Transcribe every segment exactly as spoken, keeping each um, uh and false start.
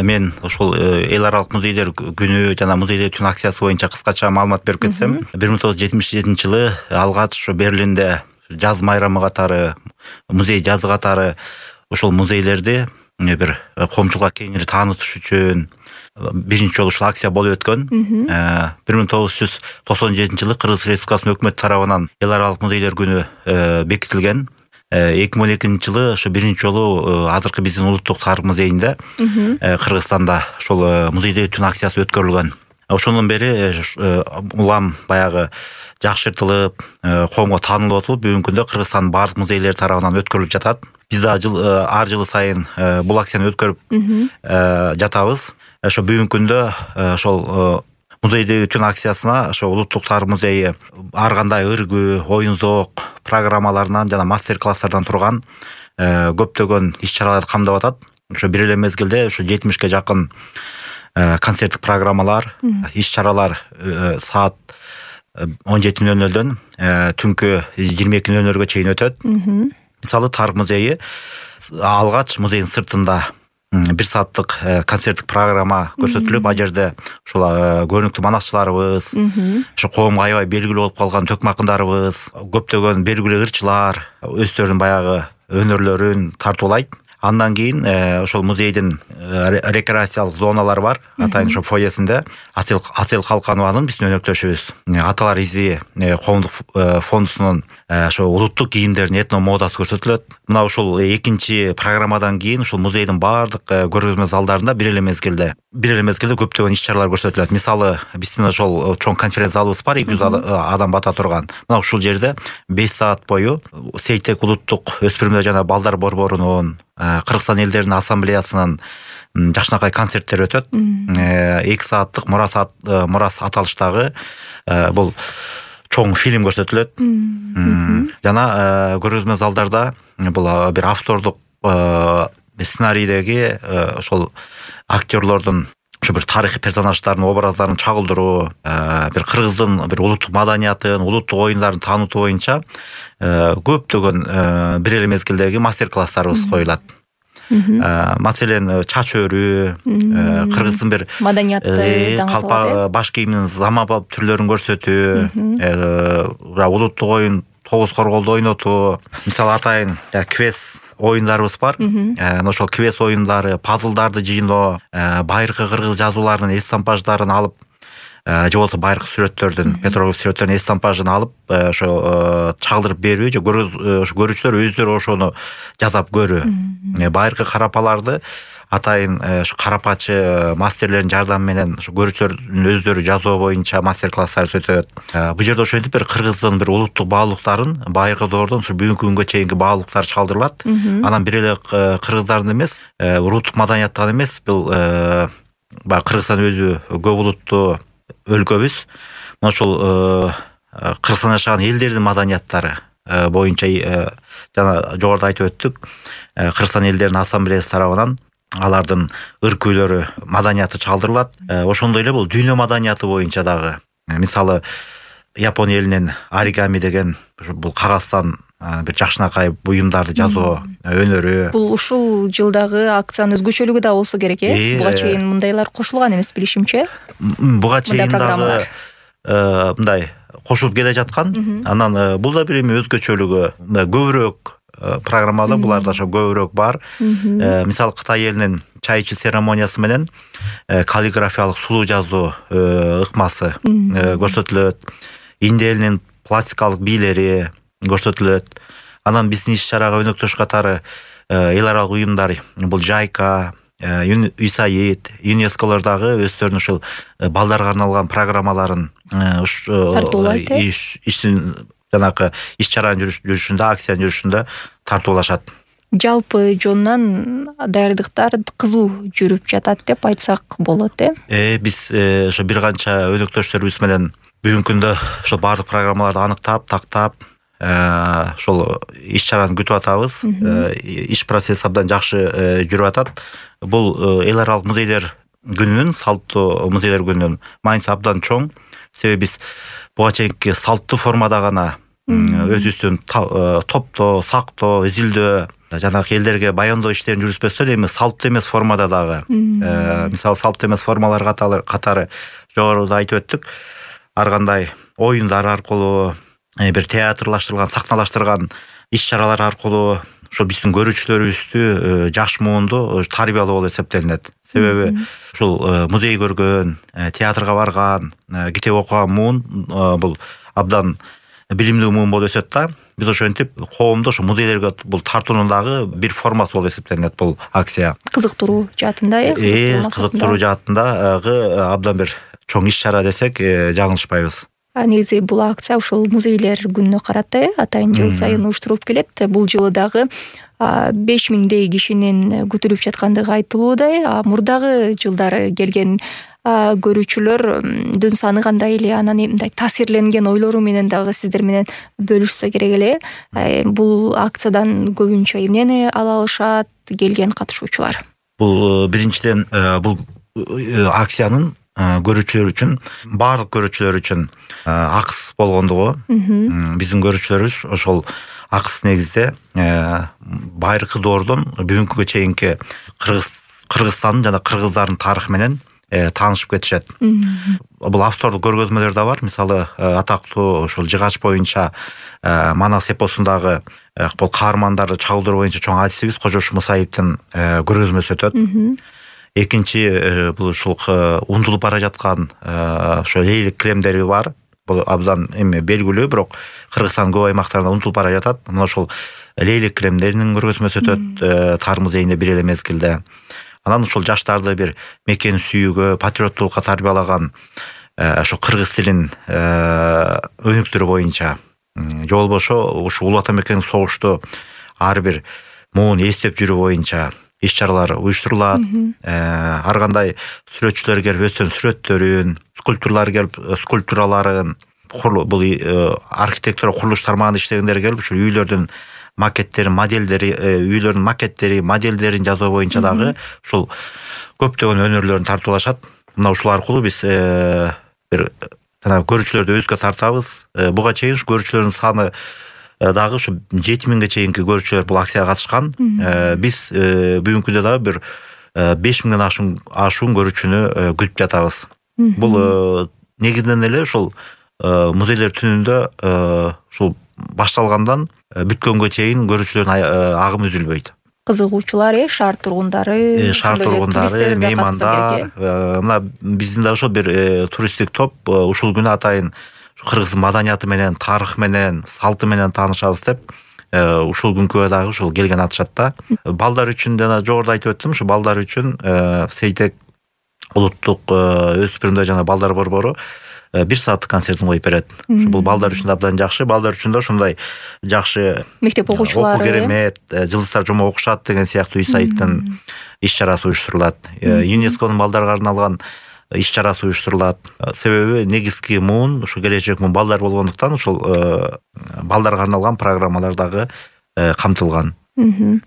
мен ошол эл аралык музейлер күнү жана музейде түн акциясы боюнча кыскача маалымат берип кетсем, бир миң тогуз жүз жетимиш жетинчи жылы алгач ошо Берлинде жаз майрамы катары, музей жазы катары ошол музейлерди бир коомчулукка кеңири таанытыш үчүн биринчи жолу ушул акция болуп өткөн. бир миң тогуз жүз токсон жетинчи жылы Кыргыз Республикасынын өкмөтү тарабынан эл аралык музейлер күнү бекитилген. эки миң он экинчи жылы ошо биринчи жолу азыркы биздин улуттук тарых музейинде Кыргызстанда ошол музейдеги түн акциясы өткөрүлгөн. Ошондон бери улам баягы жакшыртылып, коомго таанылып атылып, бүгүнкү күндө Кыргызстандын баардык музейлери тарабынан өткөрүлүп жатат. Биз да жыл ар жылы сайын бул акцияны өткөрүп жатабыз. Ошо бүгүнкү күндө ошол музейдеги түн акциясына ошо улуттук тарых музейи ар кандай өргү, оюн зоок программаларынан жана мастер-класстардан турган көптөгөн иш-чараларды камдап атат. Ошо бир эле мезгилде ошо жетимишке жакын концерттик программалар, иш-чаралар саат он жети нөл нөлдөн түнкү жыйырма эки нөл нөлгө чейин өтөт. Мисалы тарых музейи алгач музейдин сыртында бир сааттык концерттик программа көрсөтүлүп, ал жерде ушул көрүнүктүү манакчыларыбыз, ошо коомго аябай белгилүү болуп калган төкмө акындарыбыз, көптөгөн белгилүү ырчылар өздөрүнүн баягы өнөрлөрүн тартуулайт. Андан кийин ошол музейдин рекреациялык зоналары бар. Атайын ошо фойесинде Асел Асел Калканованын биздин өнөктөшүбүз Аталар изи коомдук фондусунун ошо улуттук кийимдердин этно модасы көрсөтүлөт. Мына ушул экинчи программадан кийин ушул музейдин баардык көргөзмө залдарында бир эле мезгилде бир эле мезгилде көптөгөн иш-чаралар көрсөтүлөт. Мисалы, биздин ошол чоң конференц залыбыз бар, эки жүз адам бата турган. Мына ушул жерде беш саат бою Сейтек улуттук өспүрүмдөр жана балдар борборунун, Кыргызстан элдеринин ассамблеясынын жакшынакай концерттери өтөт. эки сааттык Мурас Мурас аталыштагы бул чоң фильм көрсөтүлөт. Жана көргөзмө залдарда бул бир автордук сценарийдеги ошол актерлордун ошо бир тарыхый персонаждардын образдарын чагылдыруу, бир кыргыздын бир улуттук маданиятын, улуттук оюндарын таанытуу боюнча көптөгөн бир эле мезгилдеги мастер-класстарыбыз коюлат. Маселен, чач өрүү, кыргыздын бир маданиятты калпак баш кийиминин заманбап түрлөрүн көрсөтүү, улуттук оюн тогуз корголду ойнотуу, мисалы атайын квест оюндарыбыз бар. Ошол квест оюндары, пазлдарды жыйноо, байыркы кыргыз жазууларынын эстампаждарын алып, же болбосо байыркы сүрөттөрдүн, петроглиф сүрөттөрдүн эстампажын алып, ошо чагылдырып берүү, же көрүүчүлөр өздөрү ошону жасап көрүү. Байыркы карапаларды атайын ошо карапачы мастерлердин жардамы менен ошо көрүүчүлөрдүн өздөрү жазуу боюнча мастер-класстар өтөт. Бул жерде ошентип бир кыргыздын бир улуттук баалуулуктарын байыркы доордон ушу бүгүнкү күнгө чейинки баалуулуктар чагылдырылат. Анан бир эле кыргыздардын эмес, улуттук маданияттан эмес, бул баягы Кыргызстан өзү көп улуттуу өлкөбүз. Ошол Кыргызстанда жашаган элдердин маданияттары боюнча жана жогоруда айтып өттүк, Кыргызстан элдеринин ассамблеясы тарабынан алардын ыркүйлөрү, маданияты чагылдырылат. Ошондой эле бул дүйнө маданияты боюнча дагы, мисалы, Япон элинин оригами деген бул кагаздан бир жакшынакай буюмдарды жасоо өнөрү. Бул ушул жылдагы акциянын өзгөчөлүгү да болсо керек, э? Буга чейин мындайлар кошулган эмес, билишимче. Буга чейин дагы мындай кошулуп келе жаткан. Анан бул да бир эми өзгөчөлүгү, көбүрөөк программада буларда ошо көбүрөөк бар. Мисалы, Кытай элинин чай ичүү церемониясы менен каллиграфиялык сулуу жазуу ыкмасы көрсөтүлөт. Индия элинин пластикалык бийлери көрсөтүлөт. Анан биздин иш-чарага өнөктөш катары эл аралык уюмдар, бул Жайка, ЮСАИД, ЮНЕСКОлор дагы өздөрүнүн ушул балдарга арналган программаларын тартуулайт, иштин жанакы иш-чаранын жүрүшүндө, акциянын жүрүшүндө тартуулашат. Жалпы жонунан даярдыктар кызуу жүрүп жатат деп айтсак болот, э? Э, биз ошо бир канча өнөктөштөрүбүз менен бүгүнкү күндө ошо баардык программаларды аныктап, тактап, ошол иш-чараны күтүп атабыз. Иш процесси абдан жакшы жүрүп атат. Бул эл аралык музейлер күнүнүн, салттуу музейлер күнүнүн мааниси абдан чоң. Себеби биз буга чейинки салттуу формада гана өзүбүздүн топтоо, сактоо, изилдөө жанагы элдерге баяндоо иштерин жүргүзбөстөн эми салттуу эмес формада дагы, мисалы салттуу эмес формалар катары жогоруда айтып өттүк, ар кандай оюндар аркылуу, бир театрлаштырылган, сахналаштырган иш-чаралар аркылуу ошо биздин көрүүчүлөрүбүздү жаш муунду тарбиялоо болуп эсептелинет. Себеби ушул музей көргөн, театрга барган, китеп окуган муун бул абдан билимдүү муун болуп өсөт да. Биз ошентип коомду ошо музейлерге бул тартуунун дагы бир формасы болуп эсептелинет бул акция. Кызыктыруу жаатында, э? Кызыктыруу жаатындагы абдан бир чоң иш-чара десек жаңылышпайбыз. Негизи бул акция ушул музейлер күнүнө карата атайын жыл сайын уюштурулуп келет. Бул жылы дагы беш миңдей кишинин күтүлүп жаткандыгы айтылууда. Мурдагы жылдары келген көрүүчүлөрдүн саны кандай эле, анан мындай таасирленген ойлору менен дагы сиздер менен бөлүшсө керек эле. Бул акциядан көбүнчө эмнени ала алышат келген катышуучулар? Бул биринчиден бул акциянын көрүүчүлөр үчүн, баардык көрүүчүлөр үчүн акыс болгондугу, биздин көрүүчүлөрүбүз ошол акыс негизде байыркы доордон бүгүнкүгө чейинки Кыргызстандын жана кыргыздардын тарыхы менен таанышып кетишет. Бул автордук көргөзмөлөр да бар. Мисалы, атактуу ошол жыгач боюнча Манас эпосундагы бул каармандарды чагылдыруу боюнча чоң адисибиз Кожош Мусаевдин көргөзмөсү өтөт. Экинчи бул ушул унутулуп бара жаткан ошо лейлик килемдери бар. Бул абдан эми белгилүү, бирок Кыргызстандын көп аймактарында унутулуп бара жатат. Мына ошол лейлик килемдеринин көргөзмөсү өтөт Тар музейинде бир эле мезгилде. Анан ушул жаштарды бир мекен сүйүүгө, патриоттулукка тарбиялаган ошо кыргыз тилин өнүктүрүү боюнча, же болбошо ушу улуу ата мекендик согушту ар бир муун эстеп жүрүү боюнча иш-чаралар уюштурулат. Ар кандай сүрөтчүлөр келип өздөрүнүн сүрөттөрүн, скульпторлор келип скульптураларын, бул архитектура курулуш тармагында иштегендер келип ушул үйлөрдүн макеттерин, модельдери, үйлөрдүн макеттери, модельдерин жасоо боюнча дагы ушул көптөгөн өнөрлөрүн тартуулашат. Мына ушул аркылуу биз бир жана көрүүчүлөрдү өзгө тартабыз. Буга чейин ушу көрүүчүлөрдүн саны дагы ушу жети миңге чейинки көрүүчүлөр бул акцияга катышкан. Биз бүгүнкү күндө дагы бир беш миңден ашуун көрүүчүнү күтүп жатабыз. Бул негизинен эле ушул музейлер түнүндө ушул башталгандан бүткөнгө чейин көрүүчүлөрдүн агымы үзүлбөйт. Кызыгуучулар, шаар тургундары, шаар тургундары, меймандар, мына биздин да ошо бир туристтик топ ушул күнү атайын кыргыз маданияты менен, тарыхы менен, салты менен таанышабыз деп ушул күнкүгө дагы ушул келген атышат да. Балдар үчүн жана жогоруда айтып өттүм, ушу балдар үчүн Сейтек улуттук өспүрүмдөр жана балдар борбору бир сааттык концертин коюп берет. Бул балдар үчүн абдан жакшы, балдар үчүн да ушундай жакшы мектеп окуучулары, окуу керемет, жылдыздар жума окушат деген сыяктуу сайттын иш-чарасы уюштурулат. ЮНЕСКОнун балдарга арналган иш-чарасы уюштурулат. Себеби негизги муун ушу келечек муун балдар болгондуктан ушул балдарга арналган программалар дагы камтылган.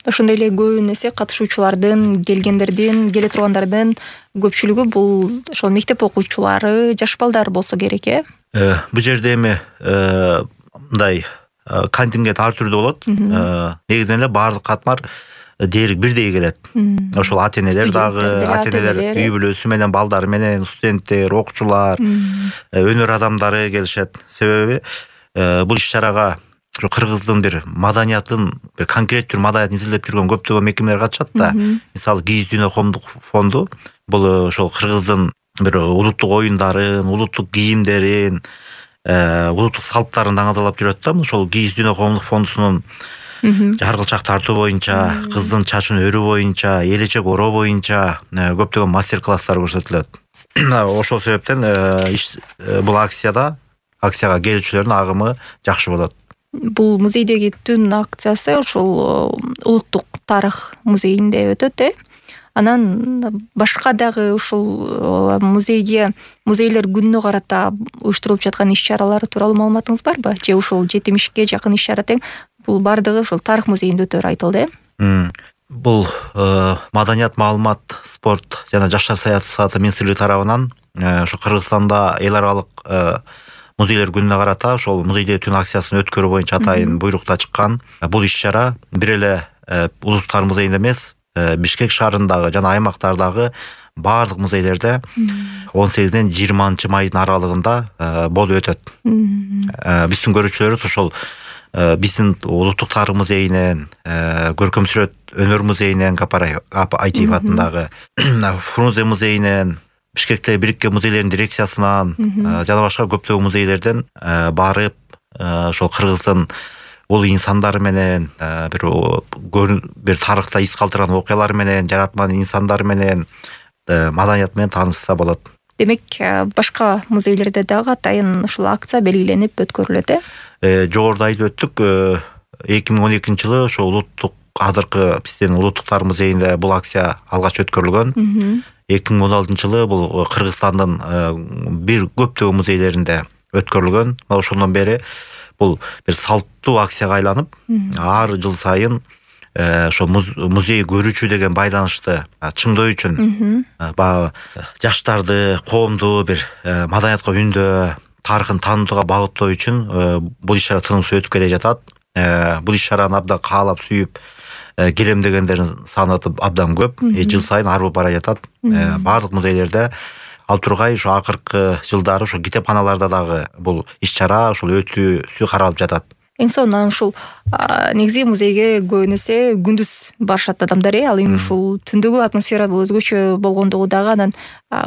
Ошондой эле көбүн эсе катышуучулардын, келгендердин, келе тургандардын көпчүлүгү бул ошол мектеп окуучулары, жаш балдар болсо керек, э? Бул жерде эми мындай контингент ар түрдүү болот. Негизинен эле баардык катмар дээрлик бирдей келет. Ошол ата-энелер дагы, ата-энелер үй бүлөсү менен, балдары менен, студенттер, окуучулар, өнөр адамдары келишет. Себеби бул иш-чарага кыргыздын бир маданиятын, бир конкреттүү маданиятын изилдеп жүргөн көптөгөн мекемелер катышат да. Мисалы, Кийиз дүйнө коомдук фонду бул ошол кыргыздын бир улуттук оюндарын, улуттук кийимдерин, улуттук салттарын даңазалап жүрөт да. Ошол Кийиз дүйнө коомдук фондусунун жаргылчак тартуу боюнча, кыздын чачын өрүү боюнча, элечек ороо боюнча көптөгөн мастер-класстар көрсөтүлөт. Ошол себептен бул акцияда акцияга келүүчүлөрдүн агымы жакшы болот. Бул музейдеги түн акциясы ушул улуттук тарых музейинде өтөт, э? Анан башка дагы ушул музейге, музейлер күнүнө карата уюштурулуп жаткан иш-чаралар тууралуу маалыматыңыз барбы? Же ушул жетимишке жакын иш-чара тең бул бардыгы ушул тарых музейинде өтөрү айтылды, э? Бул маданият, маалымат, спорт жана жаштар саясаты министрлиги тарабынан ошо Кыргызстанда эл аралык музейлер күнүнө карата ошол музейде түн акциясын өткөрүү боюнча атайын буйрук да чыккан. Бул иш-чара бир эле улуттуктар музейинде эмес, Бишкек шаарындагы жана аймактардагы баардык музейлерде он сегизден жыйырманчы майдын аралыгында болуп өтөт. Биздин көрүүчүлөрүбүз ошол биздин улуттук тарых музейинен, көркөм сүрөт өнөр музейинен, Гапар Айтиев атындагы Фрунзе музейинен, Бишкектеги бириккен музейлердин дирекциясынан жана башка көптөгөн музейлерден барып, ошол кыргыздын улуу инсандары менен, бир бир тарыхта из калтырган окуялар менен, жаратман инсандар менен, маданият менен таанышса болот. Демек, башка музейлерде дагы атайын ушул акция белгиленип өткөрүлөт, э? Жогоруда айтып өттүк, эки миң он экинчи жылы ошо улуттук азыркы биздин улуттуктар музейинде бул акция алгач өткөрүлгөн. эки миң он алтынчы жылы бул Кыргызстандын бир көптөгөн музейлеринде өткөрүлгөн. Ошондон бери бул бир салттуу акцияга айланып, ар жыл сайын ошо музей көрүүчү деген байланышты чыңдоо үчүн баягы жаштарды, коомду бир маданиятка үндөө, тарыхын таанытууга багыттоо үчүн бул иш-чара тынымсыз өтүп келе жатат. Бул иш-чараны абдан каалап сүйүп келемдегендердин саны абдан көп, жыл сайын арбып бара жатат. Баардык музейлерде ал тургай ошо акыркы жылдары ошо китепканаларда дагы бул иш-чара ошол өтүүсү каралып жатат. Эң сонун ушул негизи музейге көбүн эсе күндүз барышат адамдар, ал эми ушул түндөгү атмосфера бул өзгөчө болгондугу дагы анан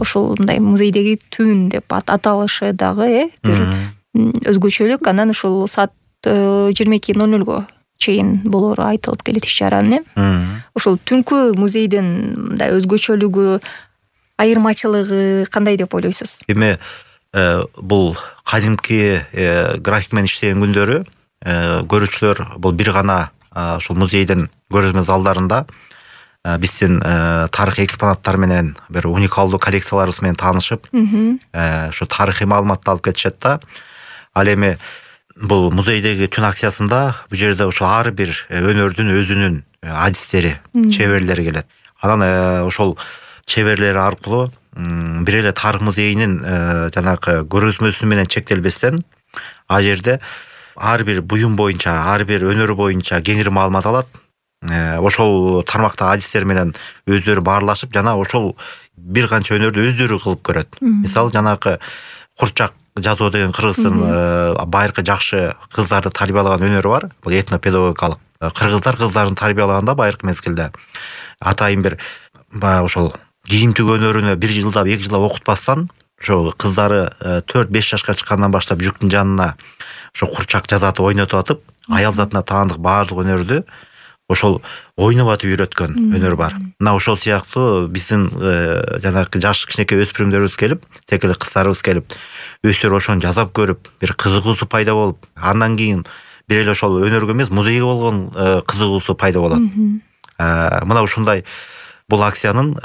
ушул мындай музейдеги түн деп аталышы дагы бир өзгөчөлүк. Анан ушул саат жыйырма эки ноль нолго чейин болору айтылып келет иш-чаранын. Ушул түнкү музейдин мындай өзгөчөлүгү, айырмачылыгы кандай деп ойлойсуз? Эми бул кадимки график менен иштеген күндөрү көрүүчүлөр бул бир гана ушул музейдин көрүзмө залдарында биздин тарыхый экспонаттар менен, бир уникалдуу коллекцияларыбыз менен таанышып, ошо тарыхый маалыматты алып кетишет да. Ал эми бул музейдеги түн акциясында бул жерде ошо ар бир өнөрдүн өзүнүн адистери, чеберлери келет. Анан ошол чеберлери аркылуу бир эле тарых музейинин жанагы көргөзмөсү менен чектелбестен, ал жерде ар бир буюм боюнча, ар бир өнөр боюнча кеңири маалымат алат. Ошол тармактагы адистер менен өздөрү баарлашып, жана ошол бир канча өнөрдү өздөрү кылып көрөт. Мисалы, жанагы курчак жазуу деген Кыргыздын байыркы жакшы кыздарды тарбиялаган өнөрү бар. Бул этнопедагогикалык. Кыргыздар кыздарын тарбиялаганда байыркы мезгилде атайын бир баягы ошол кийим тигүү өнөрүнө бир жылдап, эки жылдап окутпастан, ошо кыздары төрт беш жашка чыккандан баштап жүктүн жанына ошо курчак жазатып ойнотуп атып, аял затына таандык баардык өнөрдү ошол ойноп атып үйрөткөн өнөр бар. Мына ошол сыяктуу биздин жанагы жаш кичинекей өспүрүмдөрүбүз келип, секиле кыздарыбыз келип, өздөрү ошону жасап көрүп, бир кызыгуусу пайда болуп, андан кийин бир эле ошол өнөргө эмес, музейге болгон кызыгуусу пайда болот. Мына ушундай бул акциянын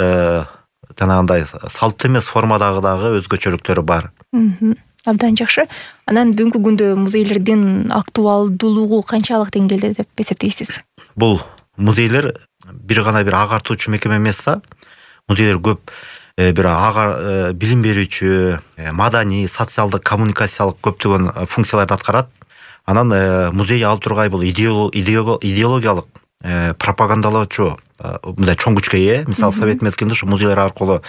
жанагындай салттуу эмес формадагы дагы өзгөчөлүктөрү бар. Абдан жакшы. Анан бүгүнкү күндө музейлердин актуалдуулугу канчалык деңгээлде деп эсептейсиз? Бул музейлер бир гана бир агартуучу мекеме эмес да. Музейлер көп бир ага билим берүүчү, маданий, социалдык, коммуникациялык көптөгөн функцияларды аткарат. Анан музей ал тургай бул идеологиялык пропагандалоочу мындай чоң күчкө ээ. Мисалы, совет мезгилинде ушу музейлер аркылуу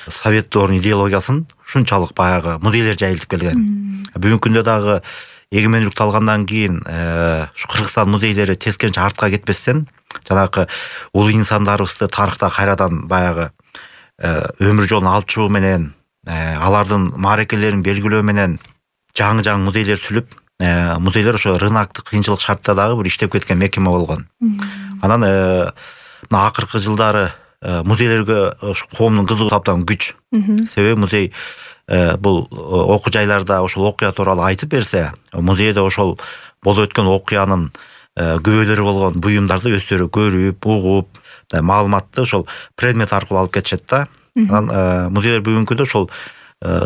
совет дорунун идеологиясын шунчалык баягы музейлер жайылтып келген. Бүгүнкү күндө дагы эгемендүүлүктү алгандан кийин ушу Кыргызстан музейлери тескеринче артка кетпестен, жанагы улуу инсандарыбызды тарыхта кайрадан баягы өмүр жолун алып чыгуу менен, алардын мааракелерин белгилөө менен жаңы-жаңы музейлер сүлүп, музейлер ошо рыноктук кыйынчылык шартта дагы бир иштеп кеткен мекеме болгон. Анан мына акыркы жылдары музейлерге коомдун кызыгуусу абдан күч. Себеби музей бул окуу жайларда ошол окуя тууралуу айтып берсе, музейде ошол болуп өткөн окуянын күбөлөрү болгон буюмдарды өздөрү көрүп, угуп, маалыматты ошол предмет аркылуу алып кетишет да. Анан музейлер бүгүнкү күндө ошол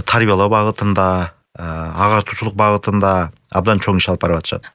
тарбиялоо багытында, агартуучулук багытында абдан чоң иш алып барып атышат.